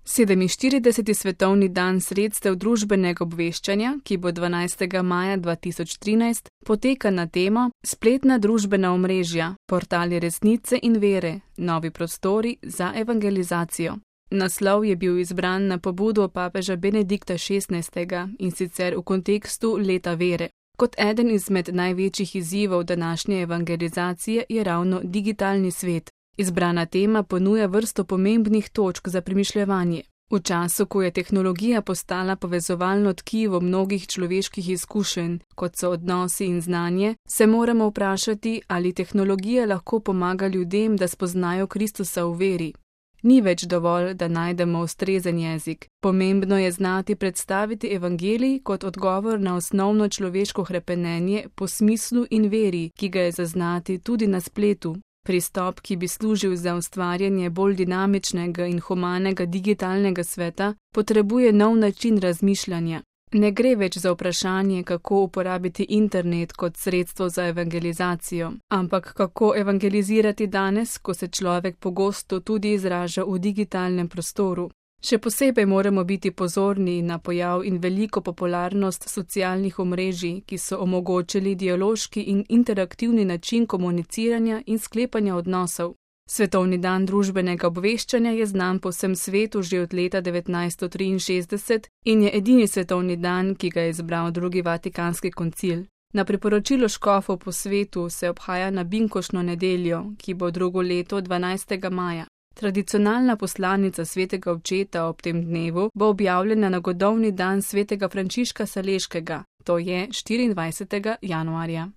47. svetovni dan sredstev družbenega obveščanja, ki bo 12. maja 2013, poteka na temo Spletna družbena omrežja, portali resnice in vere, novi prostori za evangelizacijo. Naslov je bil izbran na pobudo papeža Benedikta XVI. In sicer v kontekstu leta vere. Kot eden izmed največjih izzivov današnje evangelizacije je ravno digitalni svet. Izbrana tema ponuja vrsto pomembnih točk za premišljevanje. V času, ko je tehnologija postala povezovalno tkivo mnogih človeških izkušenj, kot so odnosi in znanje, se moramo vprašati, ali tehnologija lahko pomaga ljudem, da spoznajo Kristusa v veri. Ni več dovolj, da najdemo ustrezen jezik. Pomembno je znati predstaviti evangelij kot odgovor na osnovno človeško hrepenenje po smislu in veri, ki ga je zaznati tudi na spletu. Pristop, ki bi služil za ustvarjanje bolj dinamičnega in humanega digitalnega sveta, potrebuje nov način razmišljanja. Ne gre več za vprašanje, kako uporabiti internet kot sredstvo za evangelizacijo, ampak kako evangelizirati danes, ko se človek pogosto tudi izraža v digitalnem prostoru. Še posebej moramo biti pozorni na pojav in veliko popularnost socialnih omrežij, ki so omogočili dialoški in interaktivni način komuniciranja in sklepanja odnosov. Svetovni dan družbenega obveščanja je znan po vsem svetu že od leta 1963 in je edini svetovni dan, ki ga je izbral drugi Vatikanski koncil. Na priporočilo škofov po svetu se obhaja na binkoštno nedeljo, ki bo drugo leto 12. maja. Tradicionalna poslanica svetega očeta ob tem dnevu bo objavljena na godovni dan svetega Frančiška Saleškega, to je 24. januarja.